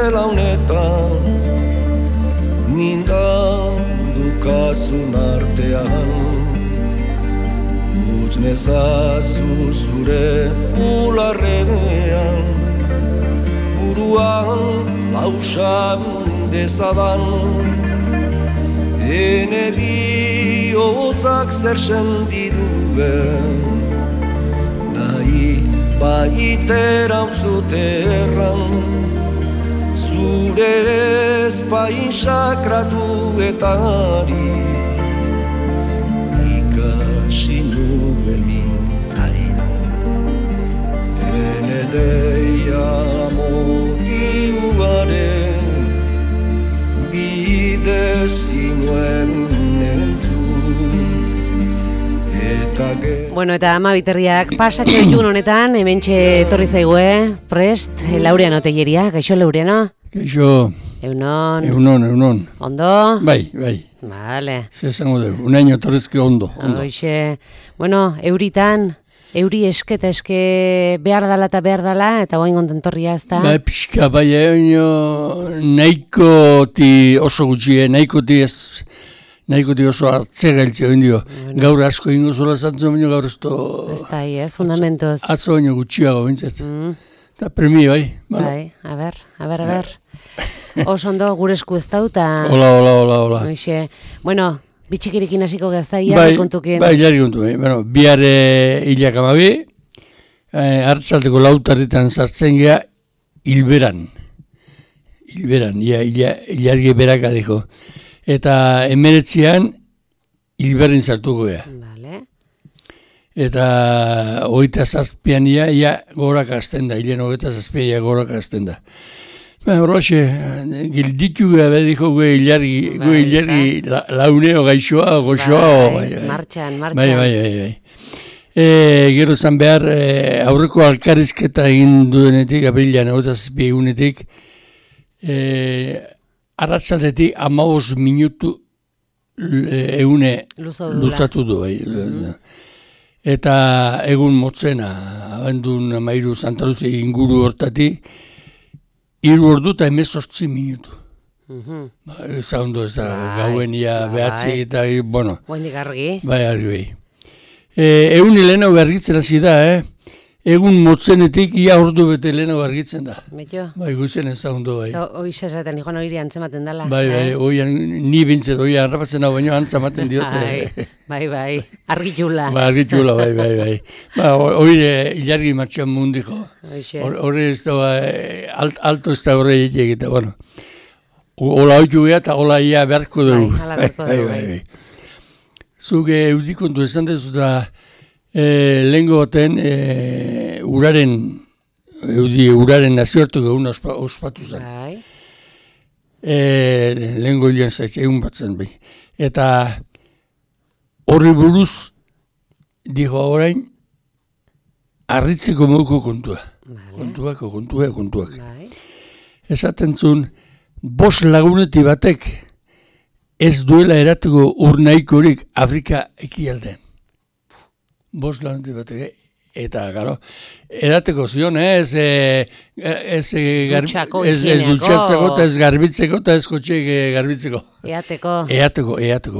zela honetan, nindan dukazun artean, utz nezazu zure bularrean, buruan pausan dezadan, ene bihotzak zer sendiduen, nahi baitera zuterran, zure ezpain sakratuetarik, ikasi nuen mintzaira, ene deia motiugaren, bide zinuen entzun. Bueno, eta ama biterriak pasatxo ditun honetan, hementxe etorri zaigue, prest, Laureano Telleria, gaixo Laureano? Gaixo. Eunon. Ondo? Bai. Vale. Zer zango dugu, unaino torrezke ondo. Hoxe, bueno, euri esketa eske behar dala, eta guain kontentorria ez da? Bai, pixka, bai, nahikoti oso gutxie, nahikoti oso hartzegailtzea indio. Bueno. Gaur asko ingo zola zantzen, baina gaur ez da, fundamentoz. Atzo baino gutxiago bintzat. Eta premia, bai. Bai, a ber. Oso ondo, gure esku ez dau, eta... Hola. Bueno, bitxikirikin hasiko gazta, jarri kontukin. Bai, jarri kontukin. Bueno, bihar hilak amabi, hartzalteko lautarritan sartzen gea, hilberan, hilargi beraka diko. Eta 19an hilberrin sartuko gea. Vale. Eta 27an ia gorak hasten da, hilen 27an ia gorak hasten da. Horroxe, gilditu gea bediko gue hilargi launeo gaixoa, goxoa. Martxan. Bai. Gero zan behar, aurreko alkarrizketa egin duenetik, aprilean 27 egunetik, arratsaldetik 15 minutu egune luzatu du. Eta egun motzena, abendun 13 Santa Lucia inguru hortatik, 3 ordu eta 18 minutu. Zaundu ez da, gauen ia behatzi eta, bueno. Guainik argi. Bai, argi. Egun hilena bergitzen hasi da, egun motzenetik ia ordu bete lehena argitzen da. Betio? Bai, guizen ez zaundu, bai. Hoi sesaten, joan hori antzematen dela. Bai, ni bintzet, hoi harrapatzen hau baino antzamaten diote. Bai, argitxula. Bai. Hoi hilargi martxan mundiko. Hori ez da, alto ez da horre egita, bueno. Ola hoitu geha eta ola ia beharko dugu. Bai. Zuge eudikontu esan dezu da, lehengo baten uraren nazioartuko egun ospatu zen. Lehengo hilean zaitxe, egun batzen behi. Eta horri buruz, dijo orain, arritzeko moduko kontua. Kontuak. Esaten zuen, 5 laguneti batek ez duela erateko urnaikorik Afrika ekialdean. 5 laguneti batek, eta, garo, erateko zion, ez dutxatzeko, eta ez garbitzeko, eta ez kotxeik garbitzeko. Eateko.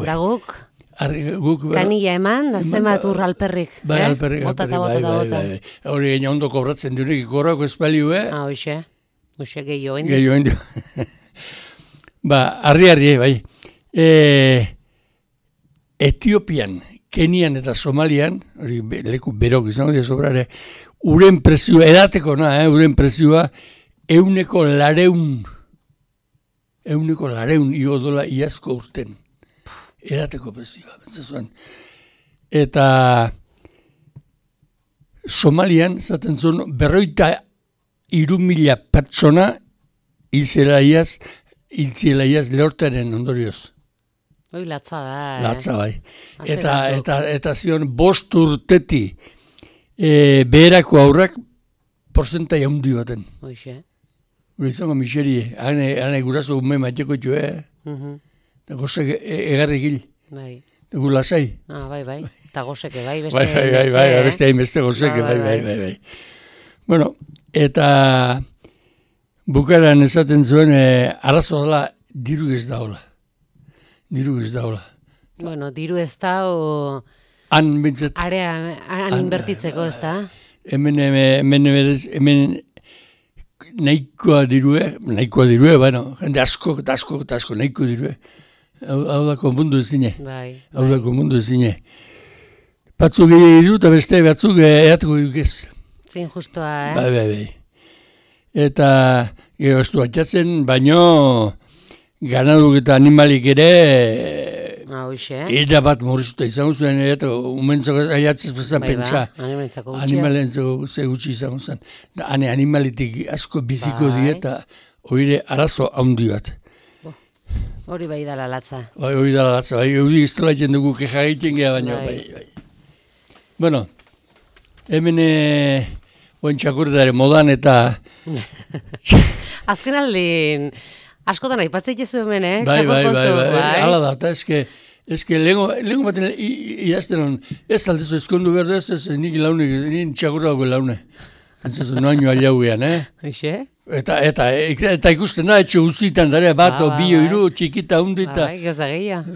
Da guk? Kanila eman, da zemat alperrik. Bai, alperrik. Bota. Hori gaina ondo kobratzen durik, korrako espaliu, Hoxe gehiago indi. Arri, bai. Etiopian, Kenian eta Somalian, hori leku berok izango dira sobrare, uren presioa, edateko uren presioa, 100 io dola iazko urten. Edateko presioa, bentsazuan. Eta Somalian, zaten zuen, 53.000 pertsona hiltzela iaz lehortaren ondorioz. Hoi latza da. Latza bai. Eta zion 5 urteti beherako aurrak porzentai handi baten. Hoxe. Gure izango miserie, hane guraso ume mateko txue. Eta gozek egarri gil. Bai. Eta gu lasai. Bai. Eta gozeke bai, beste gozeke, bai. Bueno, eta bukaran esaten zuen, arazo dela, diru ez daola. Bueno, diru ez da, o... Han bintzat... Han inbertitzeko, ez da? Hemen nahikoa dirue, bueno, jende asko, nahiko dirue. Hau da konpundu ezine. Batzuk diru eta beste batzuk eatuko dukez. Fin justoa, Bai. Eta gero ez du atxatzen, baino ganaduk eta animalik ere era bat morrizuta izango zuen, eta umentzako aiatzez bezan pentsa. Animalentzako ze gutxi izango zen. Animalitik asko biziko dieta, oire arazo handi bat. Hori bai dala latza. Hori dala latza, hori iztola egiten dugu keja egiten geha, baina bai. Bueno, hemen oen txakurretaren modan eta... Azken aldin, askotan aipatzeit jesu hemen, Bai, hala da, eta eske lehenko baten idazten hon, ez aldezu eskondu berdu ez nik launek, nik txakurrako laune. Ez ez noaino aliauean, Eixe? Eta ikusten da, etxe uzitan dara, bat, bi, hiru, txikita, hundu eta... Bai, gioza gehiago.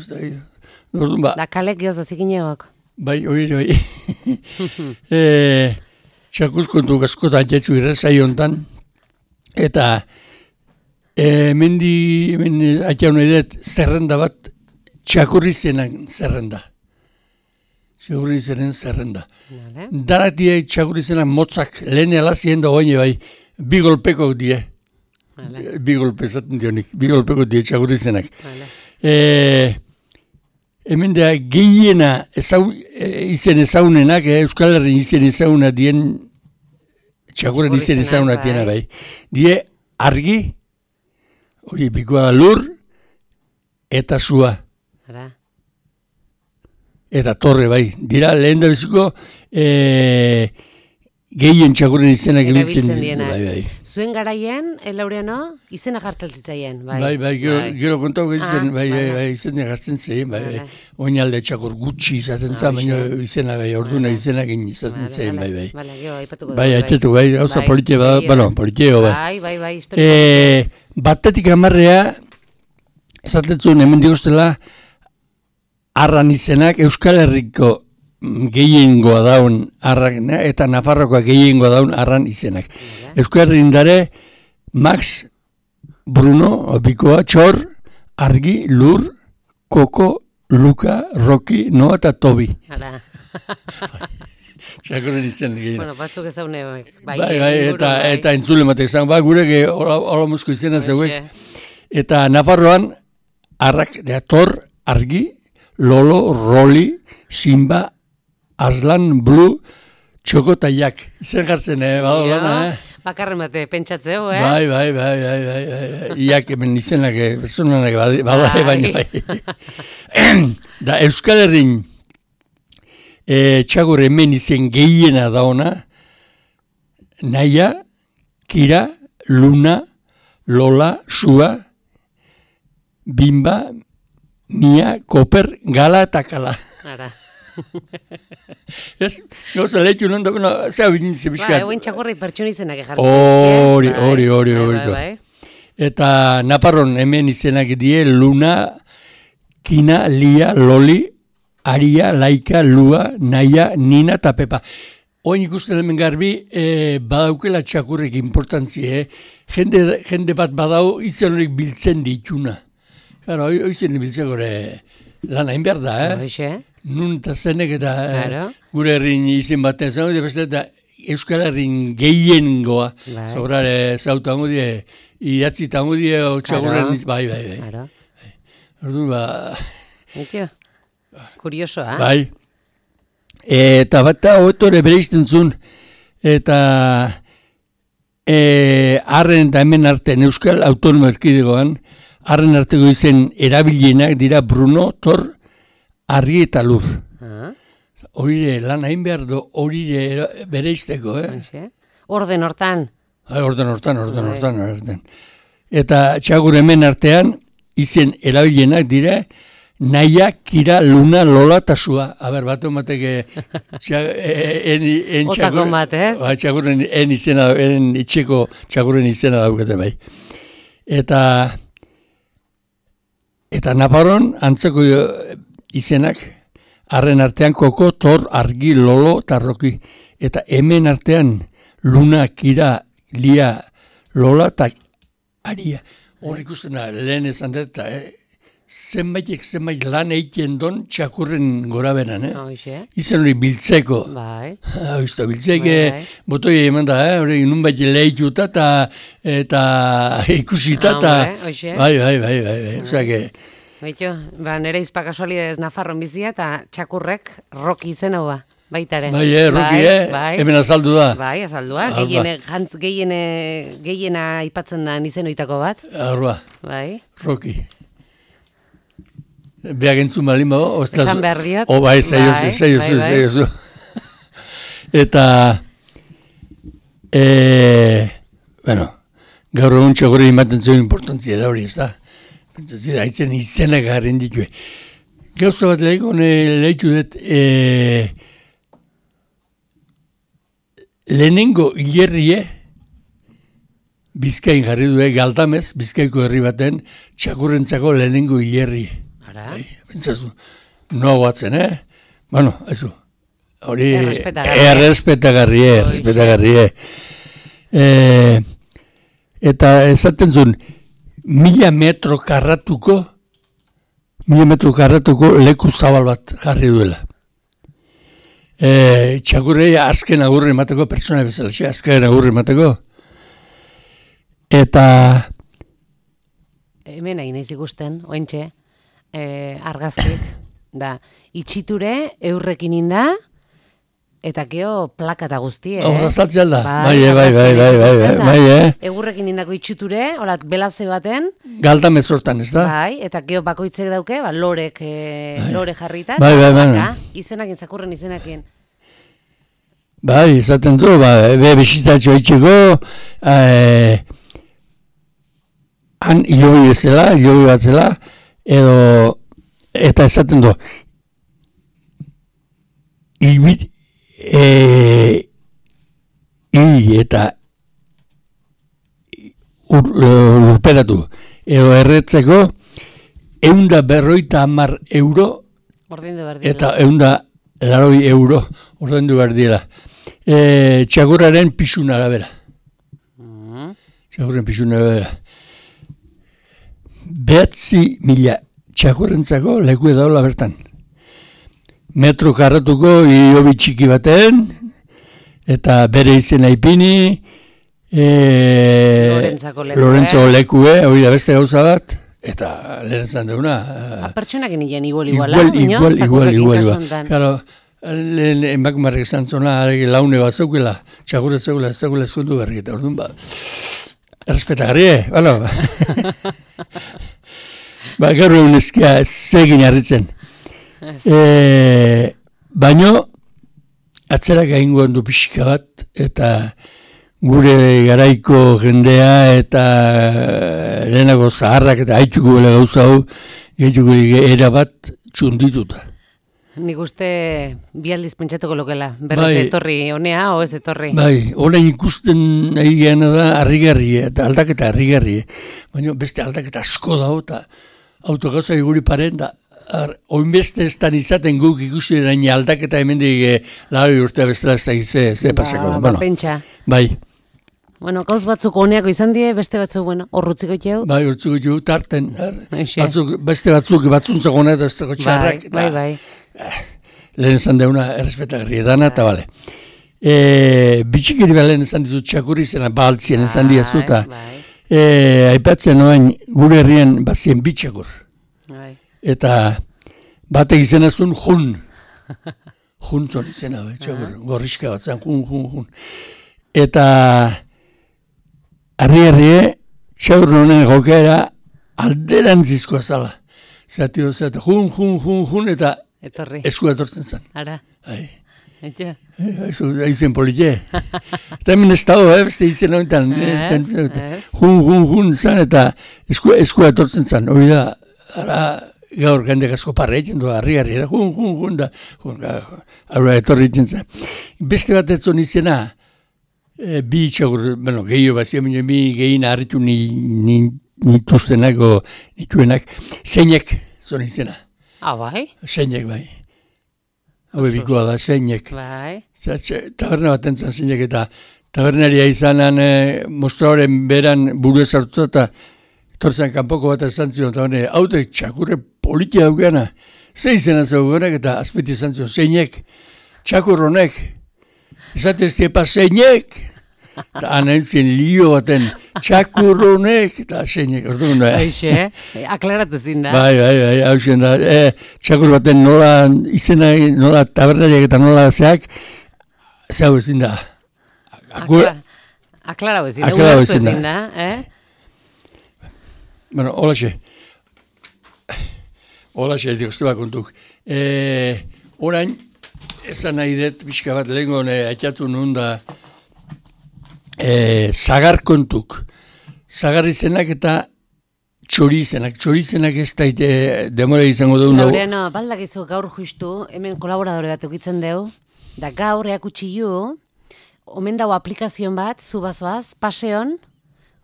Da kalek gioza zikinegok. Bai, hori. Txakurkontu askotan jetxu irrezai hontan, eta hemen atxaun edet zerrenda bat txakurri zenen zerrenda. Daratie txakurri zenak motzak lehen alazien da oine bai, bi golpeko die. Bi golpe zaten dionik, bi golpeko die txakurri zenak. Hemen da gehiena izen ezaunenak, Euskal Herri izen ezauna dien, txakurren izen ezauna diena bai. Die argi, hori bikoa lur, eta zua. Eta torre bai. Dira lehen da biziko gehien txakurren izenak ebiltzen bai. Zuen garaien, Laureano, izena jartzen zitzaien. Bai, gero kontau izen, izena jartzen zein, bai. Oinalde txakur gutxi izaten zen, baina izena gai, orduna izenak izaten zein, bai. Bai, haitzetu, bai, gauza politia bada, bueno, politiego, bai. Bai, historia. Batetik amarrea, esatetzun, hemen digostela, arran izenak Euskal Herriko gehiengoa daun arran, eta Nafarrokoa gehiengoa daun arran izenak. Euskal Herrin dare, Max, Bruno, Bikoa, Txor, Argi, Lur, Koko, Luka, Roki, Noa eta Tobi. Txakurren izen gehiena. Bueno, batzuk ezaune. Bai, eta entzule matek zan, gureke hola musko izena zeuek. Eta Nafarroan, Arrak, Tor, Argi, Lolo, Roli, Simba, Aslan, Blue, Txoko eta Jak. Izen jartzen, badolana, Bakarren bate pentsatzeu, Bai. Iak hemen izenak, personanak badai baina bai. Da Euskal Herrin txakur hemen izen gehiena dauna, Naia, Kira, Luna, Lola, Sua, Bimba, Nia, Koper, Gala eta Kala. Ez, gauza lehitu non da, zea bintze bizkat. Euen txakurri pertsona izenak jartzen. Hori. Eta Naparron hemen izenak die Luna, Kina, Lia, Loli, Aria, Laika, Lua, Naia, Nina eta Pepa. Oin ikusten hemen garbi, badaukela txakurrek importantzie, jende bat badau izen horik biltzen dituna. Claro, oizen biltzen gore lan hain behar da, Nun eta zenek eta gure herrin izen baten zen, eta Euskal Herrin gehiengoa, sobrare zauta hango die, idatzi eta hango die, txakurren bai. Orduan, Kuriosoa, Bai. Eta bat hotore bere izten zuen, eta arren eta hemen artean Euskal Autonomo Erkidegoan, arren arteko izen erabilienak dira Bruno, Tor, Argi eta Lur. Horire lan hain behar du, horire bere izteko, Orden hortan. Orden hortan. Eta txakur hemen artean, izen erabilienak dira naia, kira, luna, lola, tasua. Aber, bat emateke Otako bat, ez? Txakurren izena, itxeko txakurren izena daukete bai. Eta Naparron antzeko izenak, harren artean koko, tor, argi, lolo, tarroki. Eta hemen artean luna, kira, lia, lola, eta aria. Hor ikusten da, lehen esan dut, zenbait lan egiten don txakurren gora beran, Izen hori biltzeko. Bai. Biltzeke, botoi eman da, hori nunbait lehituta eta ikusita, eta bai. Osake, Baito, nire izpa kasualidez Nafarron bizia eta txakurrek Roki izen hau baitaren. Bai, Roki, hemen azaldu da. Bai, azaldua. Gehiena aipatzen da izen oitako bat. Arba, Bai. Roki. Beak entzun balin bago. Esan behar diot. Bai, zaiozu. Eta, gaur egun txakurri imaten zuen importantzia da hori, ez da? Haitzen izenak garen ditue. Gauza bat lehitu dut, lehenengo hilerrie, Bizkain jarri du, Galdamez, Bizkaiko herri baten, txakurrentzako lehenengo hilerrie. Ara? Bentsazu, noa guatzen, Bueno, haizu. Hori, errespetagarrie. Eta esaten zuen, 1000 metro karratuko leku zabal bat jarri duela. Txakurrei azken agurri emateko, pertsona bezala, azken agurri emateko. Eta hemen nahi naiz ikusten, oentxe, argazkik, da, itxiture eurrekin inda, eta keo plaka eta guztie, Horrazatzen da, bai. Egurrekin indako itxiture, holat, belaze baten. Galdamez hortan, ez da? Bai, eta keo bakoitzek dauke, lore jarrita. Bai. Izenakin, zakurren izenakin. Bai, esaten du, besitatxo itxeko, han hilobi bat zela, eta esaten du, eta urperatu, edo erretzeko 150 euro eta 180 euro ordaindu behar dira. Txakurraren pixun arabera. Txakurren pixun arabera. 9.000 txakurrentzako leku edaula bertan. Metro karratuko hilobi txiki baten, eta bere izena ipini, Lorentzako lekue, hori da beste gauza bat, eta lehen zan deuna. Pertsonakin nien igual. Claro, lehen emakumarrek esan zona, laune bat zeukela, txakurre zeukela, ez zeukela eskondu berrik, eta orduan errespetagarrie, balo. Gaur egun eskia zegin harritzen. Baino, atzerak egingo handu pixka bat, eta gure garaiko jendea eta lehenago zaharrak eta haitxuko bela gauza hau, gehituko erabat txundituta. Nik uste bi aldiz pentsatuko lokela, berrez etorri honea, o ez etorri? Bai, orain ikusten nahi geana da harrigarrie, eta aldaketa harrigarrie. Baina beste aldaketa asko dago, eta autogauza guri paren da, oinbeste ez dan izaten guk ikusi erain aldaketa hemendik lauri urtea bestela ez da ze pasako. Pentsa. Bai. Bueno, gauz batzuk honeako izan die, beste batzuk, horrutziko itxeu? Bai, horrutziko itxeu, tarten. Beste batzuntzako honetan, besteko txarrak. Bai. Lehen esan deuna errespetagarri edana, eta bale. Bitxikiri lehen esan dizut txakurri zena, baltzien esan diazu, eta aipatzen noain gure herrian bazien bitxakur. Eta batek izena zuen jun. Juntzon izena, txakur, gorriska bat zen, jun. Eta harri-harrie, txakur nonen jokera alderantzizkoa zala. Zatio zata, jun, eta eskua etortzen zen. Ara. Aizen politie. Eta hemen ez dago, beste izen honetan. Jun zen, eta eskua etortzen zen. Hori da, ara gaur gandek asko parra egiten du, harri, da, da, aurra etorri egiten zen. Beste bat etzon izena, bi txakur, bueno, gehiago bat ziren, bi gehin harritu nituenak, zeinek zon izena. Bai? Zeinek, bai. Hau bikoa da, zeinek. Bai. Taberna bat entzan zeinek eta tabernaria izanan mostraoren beran buru ezartuta eta etortzen kanpoko bat ezan zion, tabernaria, haute txakurre politia daukeana, ze izena zaugunak eta azpiti izan zion, zeinek, txakur honek, esatez tiepa zeinek, eta anentzien lio baten, txakur honek, eta zeinek, orduan da. Aixe, aklaratu zin da. Bai, hau zen da, txakur baten nola izena, nola tabernariak eta nola zeak, zau ezin da. Aklarau ezin da, ulertu ezin da, Bueno, holaxe, dikostua kontuk. Orain, ezan nahi dut, pixka bat lehenko haitatu nun da, zagar kontuk. Zagar izenak eta txori izenak ez daite demora izango dugu. Laureano, baldakizu gaur justu, hemen kolaboradore bat ukitzen dugu, da gaur eakutsi ju, omen dago aplikazion bat, zu bazoaz, paseon,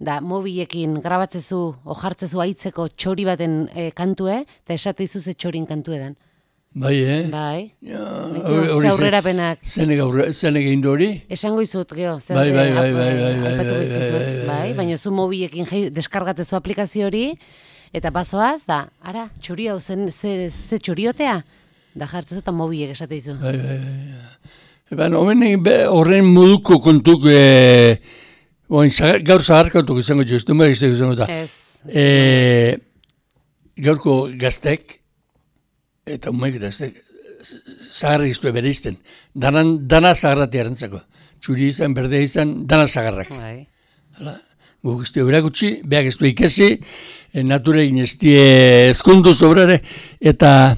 da mobilekin grabatzezu, ojartzezu aitzeko txori baten kantue, eta esateizu ze txorin kantue den. Bai, Bai. Ze aurrerapenak. Zenek egin hori? Esango izut, geho. Bai. Baina zu mobilekin deskargatzezu aplikazio hori, eta bazoaz, da, ara, txori hau ze txoriotea? Da jartzezu eta mobilek esateizu. Bai. Horren moduko kontuk, gaur zaharkautuk izango jo, ez du mariztek izango da. Gaurko gaztek, eta umek eta zaharrak iztu bere izten. Dana zaharrati erantzako. Txuri izan, berde izan, dana zaharrak. Guk iztu berakutsi, behak iztu ikesi, nature inestie ezkondu sobrare, eta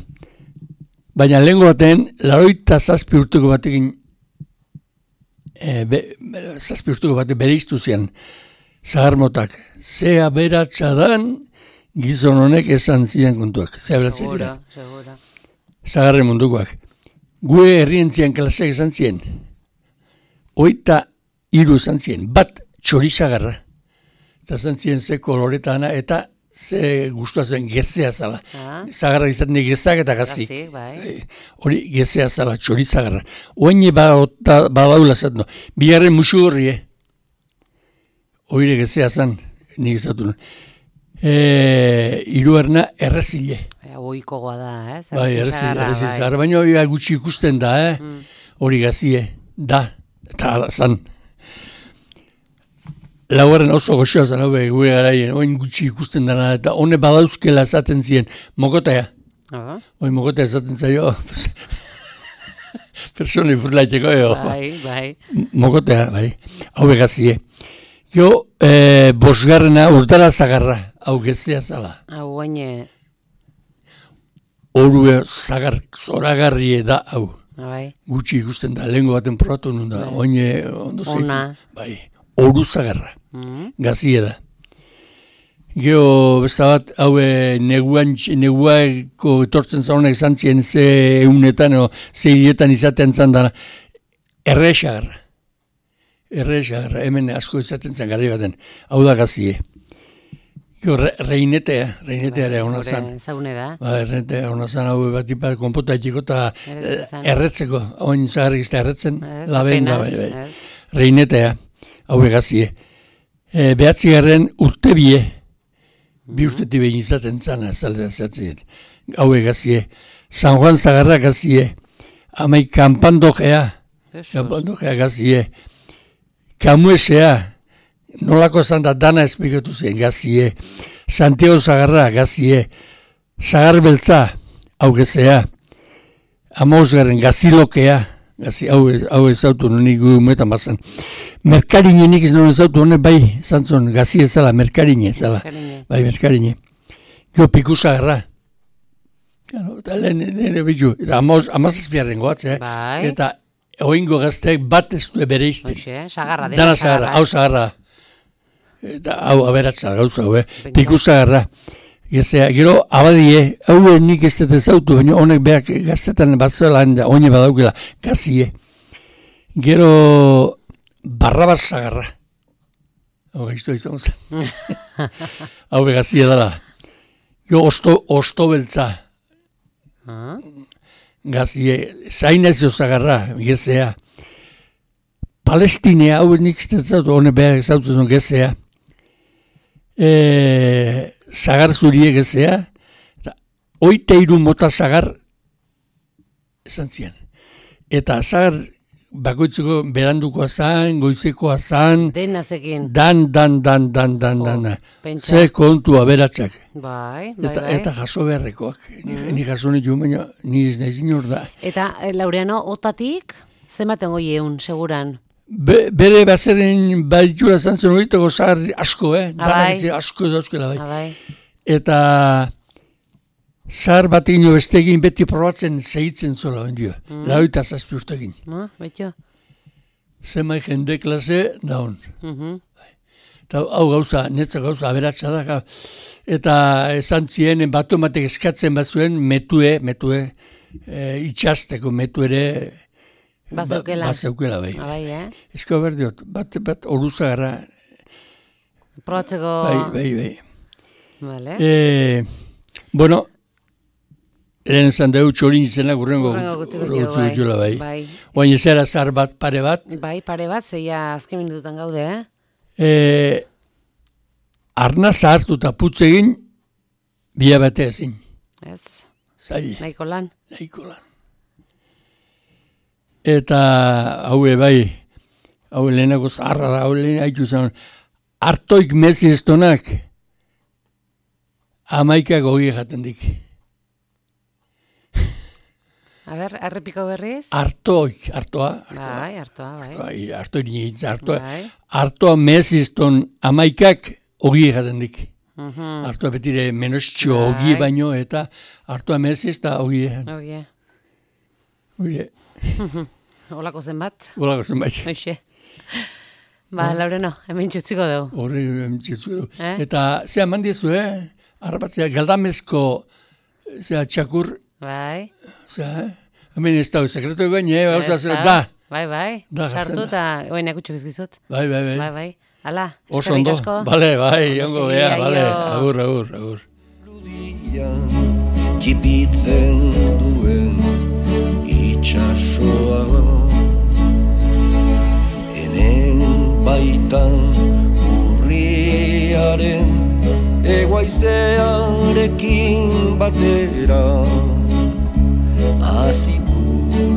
baina lehenko baten, 87 urteko batekin zazpi urtuko bat bere iztu zian zaharmotak. Ze aberatsadan gizon honek esan zian kontuak. Ze aberatsa dira. Zaharren mundukoak. Gue herrien zian klaseak esan zien. 23 esan zien. Bat txori zagarra. Eta esan zien ze koloretana eta ze guztua zen gezea zala. Zagarra izaten gezak eta gazik. Hori gezea zala, txori zagarra. Oine badaula zaten. Bigarren musu horri, Oire gezea zan, nik izatu nuen. Hirugarrena errezile. Oikogoa da, Bai, errezile zagarra. Baina hori gutxi ikusten da, Hori gazie, da, eta zan. Laugarren oso goxoa zen, gure garaien, oin gutxi ikusten dena, eta hone badauzkela esaten ziren, mokotea. Oin mokotea esaten zaio, personi furlaiteko, Bai. Mokotea, bai, hau begazie. Jo, bosgarrena urdara zagarra, hau gezea zala. Hau oine. Horu zagar, zoragarrie da, hau. Bai. Gutxi ikusten da, lehenko baten probatu nun da, oine ondo zeitzen. Ona. Bai. Horu zagarra, gazie da. Gero, besta bat, neguako etortzen zaunak izan ziren ze eunetan, ze hilietan izaten zan dana, erre zagarra, hemen asko izaten zan garri baten, hau da gazie. Gero, reinetea ere hona zan. Zaune da. Reinetea hona zan, hau bat ipat konpota etxiko eta erretzeko, hain zagarrik izte erretzen, laben da, bai. Reinetea. Hau egazie. Behatzigarren urte bi urtetik behin izaten zana, zaldea zehatzien. Hau egazie. San Juan zagarra gazie. Amai kanpandokea gazie. Kamuesea. Nolako zan da dana esplikatu zen gazie. Santiago zagarra gazie. Zagar beltza. Hau gezea. Amosgarren gazilokea. Hau ezautu nik umetan bazan. Merkarine nik ez nuen ezautu honek bai, zantzon, gazi ezala, merkarine ezala. Bai, merkarine. Gio pikusagarra. Eta lehen bitu, eta amazazpiarren goatzea. Bai. Eta oingo gazteak bat ez du bere izten. Sagarra, dena sagarra. Hau sagarra. Eta hau aberatza gauza, pikusagarra. Gezea, gero abadie, haue nik ez dut ezautu, baina honek behar gaztetan batzuela, oine badaukela, gazie. Gero Barrabas Sagarra. Hau gaiztu izan zen. Hau begazia dela. Gero osto beltza. Gazie, zainez jo Sagarra, gezea. Palestinea, hau nik ez dut ezautu, honek behar ezautu zen gezea. Sagar zurie gezea, eta 23 mota sagar esan zian. Eta sagar bakoitzeko berandukoa zan, goizekoa zan, Denazekin. Dan. Ze kontu aberatsak. Bai. Eta jaso beharrekoak. Ni jaso nitu, baina ni ez nahi zinor da. Eta, Laureano, otatik, zenbaten goi egun, seguran? Bere bazeren baditura zantzen horietako sagar asko, Abai. Asko dauzkela, bai. Bai. Eta zahar bat egin bestegin beti probatzen segitzen zola ondio. Lauita zazpi urtekin. Betio. Zemai jende klase daun. Eta hau gauza, netza gauza aberatsa da. Eta esan zien, batu ematek eskatzen bazuen metue, itxasteko metu ere Bazeukela. Bazeukela, bai. Bai, Ezko berdiot, bat oruza gara. Probatzeko... Bai. Vale. Bueno, lehen esan dugu txorin izena gurrengo gutziko diola, bai. Bai. Oain ezera zar bat, pare bat. Bai, pare bat, zeia azken minututan gaude, Arna zahartu eta putz egin, bila bate ezin. Ez. Zaila. Nahiko lan. Eta haue bai, haue lehenako zaharra da, haue lehen haitu zen, hartoik mezi estonak, 11 gogi jaten dik. A ber, errepiko berriz? Hartoa. Bai, hartoa, bai. Hartoa nintza, Bai. hartoa mezi eston 11 gogi jaten dik. Hartoa betire menostxo gogi baino, eta hartoa mezi ez da gogi jaten. Oie. Olako zenbat? Olako zenbat. Hoxe. Ba, Laureno, hemen txutziko dugu. Horre, hemen txutziko dugu. Eta, zea mandiezu, Arrapatzea, galdamezko, txakur. Bai. Hemen ez da, sekretu egin, da. Bai. Sartu eta, oen akutxuk izgizut. Bai. Hala, oso ondo. Asko. Bale, ongo, bale. Agur. Ludian, kipitzen duen itxasoa, enen baitan urriaren eguaizearekin batera, hasi